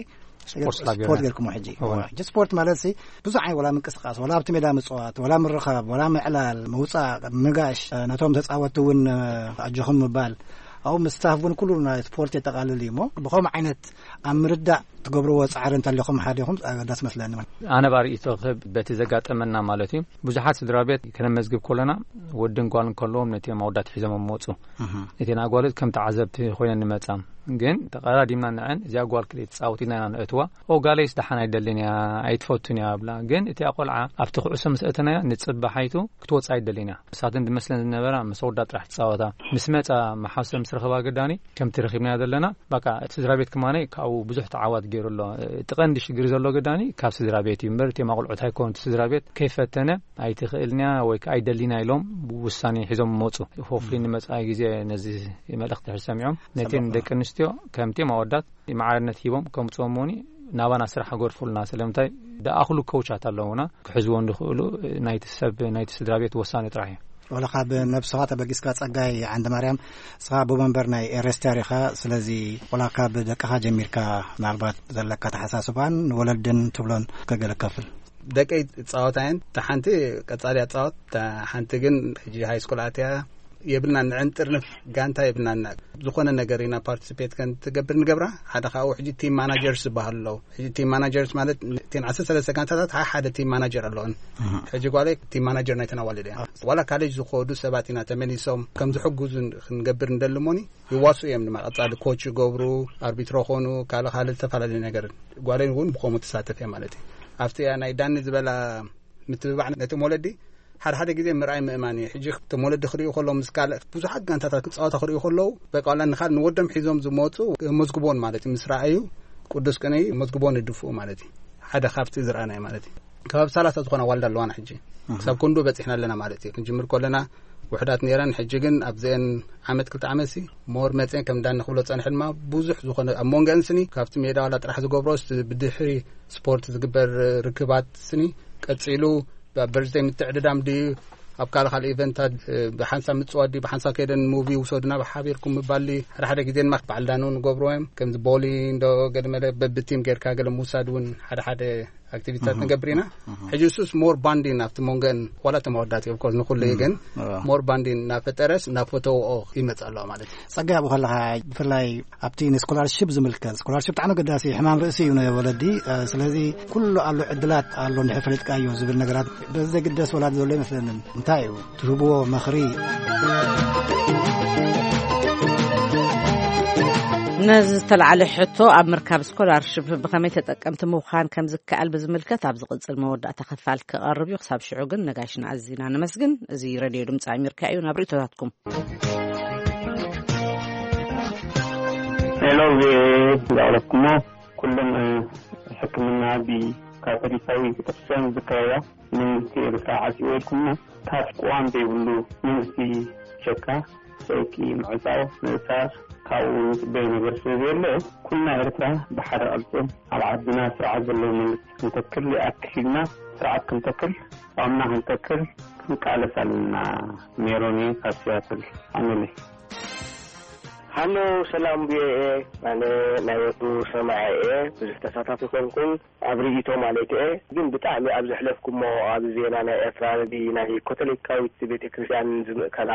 ስፖርት ስላብ ስፖርት ጌርና። ጌርኩሞ። ሕጂ እወ። ሕጂ ስፖርት ማለት ሲ ብዙሕ ዓይነት፣ ወላ ምንቅስቃስ፣ ወላ ኣብቲ ሜዳ ምጽዋት፣ ወላ ምርኻብ፣ ወላ ምዕላል፣ ምውጻእ፣ ምጋሽ፣ ነቶም ተጻወትቲ እውን ኣጆኹም ምባል፣ ኣብኡ ምስታፍ እውን ኩሉ ናይ ስፖርት የጠቓልል እዩ። እሞ ብኸም ዓይነት ኣብ ምርዳእ ትገብርዎ ጻዕሪ እንተሊኹም ሓዲኹም ኣገዳስ መስለኒ። ኣነ ባርእቶ ክህብ በቲ ዘጋጠመና ማለት እዩ። ብዙሓት ስድራ ቤት ከነመዝግብ ከለና፣ ወድን ጓልን ከለዎም ነቲ ኣወዳት ሒዞም መጹ። እህም። ነቲ ኣጓልት ከም ተዓዘብቲ ኮይነን ንመጻ። ግን ተቐዳዲምና ንዐን፣ እዚኣ ጓል ክልተ ትጻወት ኢልና ኢና ንእትዋ። ኦ፣ ጋለይስ ደሓን ኣይደልን እያ፣ ኣይትፈቱን እያ ብላ። ግን እቲ ቆልዓ ኣብቲ ኩዕሶ ምስ እተናያ፣ ንጽባሓይቱ ክትወጽእ ኣይደልን እያ። ንሳተን ዝመስለን ዝነበራ ምስ ኣወዳት ጥራሕ ትጻወታ። ምስ መጻ መሓሰብ ምስ ረኸባ ግዳኒ፣ ከምቲ ረኺብናዮ ዘለና፣ በቃ እቲ ስድራ ቤት ከማነይ ካብኡ ብዙሕ ተዓዋት ገይሩ ኣሎ። እቲ ቀንዲ ሽግር ዘሎ ግዳኒ ካብ ስድራ ቤት እዩ እምበር፣ እቲ ቆልዑት ኣይኮኑን። እቲ ስድራ ቤት ከይፈተነ ኣይትኽእልን እያ ወይ ከኣ ኣይደልን እያ ኢሎም ውሳኔ ሒዞም መጹ። ሆፍሊ ንመጻኢ ግዜ ነዚ መልእኽቲ ድሕሪ ሰሚዖም፣ ነተን ሰማዕኩ። ደቂ ኣንስትዮ ከምቲ ኣወዳት ማዕርነት ሂቦም ከምጽኦም መሆኒ ናባና ስራሕ ኣገድፉልና። ስለምንታይ? ዝኣኽሉ ኮውቻት ኣለዉና፣ ክሕዝዎ እንድኽእሉ ናይቲ ሰብ፣ ናይቲ ስድራ ቤት ወሳኒ ጥራሕ እዩ። ወላ ካብ ነብስኻ ተበጊስካ፣ ጸጋይ ዓንደ ማርያም፣ ንስኻ ኣቦ መንበር ናይ ኤረስታር ኢኻ። ስለዚ ወላ ካብ ደቅኻ ጀሚርካ፣ ምናልባት ዘለካ ኣተሓሳስባን ንወለድን ትብሎን ከገለ ከፍል። ደቀይ ጻወታ እየን። እታ ሓንቲ ቀጻሊ ኣጻወት፣ እታ ሓንቲ ግን ሕጂ ሃይ ስኩል ኣትያ። የብልናን፣ ንዕን ጥርንፍ ጋንታ የብልናን። ዝኾነ ነገር ኢና ፓርቲሲፔት ከን ትገብር ንገብራ። ሓደ ካብኡ ሕጂ ቲም ማናጀርስ ዝበሃሉ ኣለዉ። ሕጂ ቲም ማናጀርስ ማለት እተን ዓሰርተ ሰለስተ ጋንታታት ሓደ ሓደ ቲም ማናጀር ኣለወን። ኣሃ። ሕጂ ጓለይ ቲም ማናጀር ናይተን ኣዋልድ እያ። ዋላ ካሌጅ ዝኾዱ ሰባት ኢና ተመሊሶም ከም ዝሕግዙ ክንገብር ንደሊ እሞኒ፣ ይዋስኡ እዮም ድማ። ቀጻሊ ኮች ይገብሩ፣ ኣርቢትሮ ኾኑ፣ ካልእ ካልእ ዝተፈላለዩ ነገር። ጓለይ እውን ብኸምኡ ትሳተፍ እያ ማለት እዩ። ኣብቲ ናይ ዳኒ ዝበላ ምትብባዕ ነቶም ወለዲ ሓደ ሓደ ግዜ ምርኣይ ምእማን እዩ። ሕጂ እቶም ወለዲ ክርእዩ ከለዉ፣ ምስ ካልእ ብዙሓት ጋንታታት ክጻወታ ክርእዩ ከለዉ፣ በቃ ዋላ ንኻል-፣ ንወዶም ሒዞም ዝመጹ መዝግቦን ማለት እዩ። ምስ ረኣዩ ቅዱስ ቅንኢ መዝግቦን ይድፍኡ ማለት እዩ። ሓደ ካብቲ ዝረኣናዮ ማለት እዩ። ከባቢ ሰላሳ ዝኾና ኣዋልድ ኣለዋና ሕጂ። ኣሃ። ክሳብ ክንዱ በጺሕና ኣለና ማለት እዩ። ክንጅምር ከለና ውሑዳት ነይረን፣ ሕጂ ግን ኣብዘን ዓመት ክልተ ዓመት ሲ ሞር መጺአን ከም ዳኒ ክብሎ ጸንሐ ድማ ብዙሕ ዝኾነ ኣብ መንጎአን ስኒ ካብቲ ሜዳ ዋላ ጥራሕ ዝገብሮ ስ-፣ ብድሕሪ ስፖርት ዝግበር ርክባት ስኒ ቀጺሉ፣ ኣብ በርዝደይ ምትዕድዳም ድዩ፣ ኣብ ካልእ ካልእ ኢቨንታት፣ እ፣ ብሓንሳብ ምጽዋት ድዩ፣ ብሓንሳብ ከይደን ሙቪ ውሰዱና ብሓቢርኩም ምባል ድዩ፣ ሓደ ሓደ ግዜ ድማ በዓል ዳኑ ንገብርዎ እዮም። ከምዚ ቦሊንግ ዶ ገለ መለ በብቲም ጌርካ ገለ ምውሳድ እውን ሓደ ሓደ ኣክቲቪቲታት እህ። ንገብር ኢና። እህ። ሕጂ እሱስ ሞር ባንዲን ኣብቲ መንጎን ዋላ እቶም ኣወዳት እዮም፣ ኮርስ ንኹሉ እዩ፣ እህ። ግን እዋ። ሞር ባንዲን እናፈጠረስ እናፈተውኦ ይመጽእ ኣለዋ ማለት እዩ። ጸጋይ ኣብኡ ከለኻ ብፍላይ ኣብቲ ንስኮላርሺፕ ዝምልከት፣ ስኮላርሺፕ ብጣዕሚ ኣገዳሲ ሕማም ርእሲ እዩ ንወለዲ። እ፣ ስለዚ ኩሉ ኣሎ ዕድላት ኣሎ እንድሕር ፈሊጥካዮ ዝብል ነገራት በዚ ዘይግደስ ወላዲ ዘሎ ይመስለንን። እንታይ እዩ ትህብዎ ምኽሪ? ነዚ ዝተላዕለ ሕቶ ኣብ ምርካብ ስኮላርሽፕ ብኸመይ ተጠቀምቲ ምዃን ከም ዝከኣል ብዝምልከት ኣብ ዝቕጽል መወዳእታ ክፋል ክቐርብ እዩ። ክሳብ ሽዑ ግን ነጋሽና ኣዚና ነመስግን። እዚ ሬድዮ ድምፂ ኣሜሪካ እዩ። ናብ ርእይቶታትኩም። ሄሎ፣ ቪኦኤ እንዳቕረብኩሞ ኩሎም፣ እ፣ ሕክምና ብካቶሊካዊ ቤተክርስትያን ዝካየዳ መንግስቲ ኤርትራ ዓጽዎ ኢልኩምና፣ ካብ ቅዋም ዘይብሉ መንግስቲ ሸካ፣ ሰይቂ፣ ምዕጻው፣ ምእሳር፣ ካብኡ ንጽበዮ ነገር ስለ ዘየለ፣ ኩልና ኤርትራ ብሓደ ቅልጽም ኣብ ዓድና ስርዓት ዘለዎ መንግስቲ ክንተክል ይኣክል ኢልና ስርዓት ክንተክል፣ ቅዋምና ክንተክል ክንቃለስ ኣለና። ሜሮን እየ ካብ ሲያትል። ኣሜን። ሃሎ፣ ሰላም ብኤ። ኣነ ናይ ወትሩ ሰማዒ እየ። ብዙሕ ተሳታፊ ኮንኩን ኣብ ርእይቶ ማለት እየ። ግን ብጣዕሚ ኣብ ዘሕለፍኩሞ ኣብ ዜና ናይ ኤርትራ ናይ ኮቶሊካዊት ቤተክርስትያን ዝምእከላ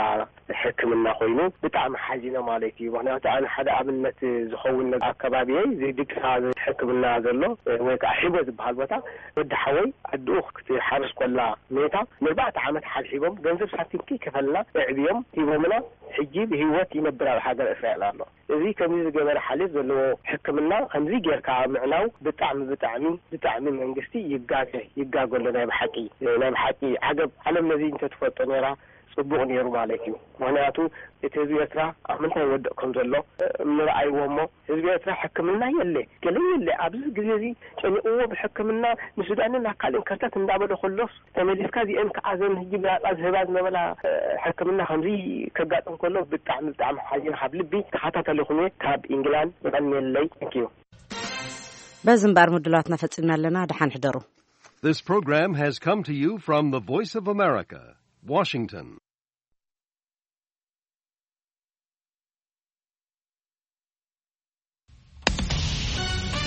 ሕክምና ኮይኑ ብጣዕሚ ሓዚነ ማለት እዩ። ምክንያቱ ኣነ ሓደ ኣብነት ዝኸውን ነገር ኣከባቢየይ ዝድግሳ ሕክምና ዘሎ ወይ ከዓ ሒቦ ዝበሃል ቦታ ወዲ ሓወይ ኣድኡ ክትሓርስ ኮላ ሜታ ንኣርባዕተ ዓመት ሓብሒቦም ገንዘብ ሳንቲም ከይከፈልና ኣዕብዮም ሂቦምና ሕጂ ብህይወት ይነብር ኣብ ሃገር እስራኤል ኣሎ። እዚ ከምዚ ዝገበረ ሓልዮት ዘለዎ ሕክምና ከምዚ ጌርካ ምዕናው ብጣዕሚ ብጣዕሚ ብጣዕሚ መንግስቲ ይጋገ ይጋገ ኣሎ። ናይ ብሓቂ ናይ ብሓቂ ዓገብ ዓለም ነዚ እንተትፈልጦ ነይራ ጽቡቕ ነይሩ ማለት እዩ። ምክንያቱ እቲ ህዝቢ ኤርትራ ኣብ ምንታይ ወድቕ ከም ዘሎ ምርኣይዎ እሞ ህዝቢ ኤርትራ ሕክምና የለ ገለ የለ ኣብዚ ግዜ እዚ ጨኒቕዎ ብሕክምና ንሱዳንን ናብ ካልእን ከርተት እንዳበለ ከሎስ ተመሊስካ እዚአን ከዓዘን ህጂ ብናጻ ዝህባ ዝነበላ ሕክምና ከምዚ ከጋጥም ከሎ ብጣዕሚ ብጣዕሚ ሓዚነ ካብ ልቢ ተኸታተልኹም እየ ካብ ኢንግላንድ የቐንየለይ። Thank you። በዚ እምበኣር ምድላዋትና ፈጺምና ኣለና። ደሓን ሕደሩ። This program has come to you from the Voice of America, Washington.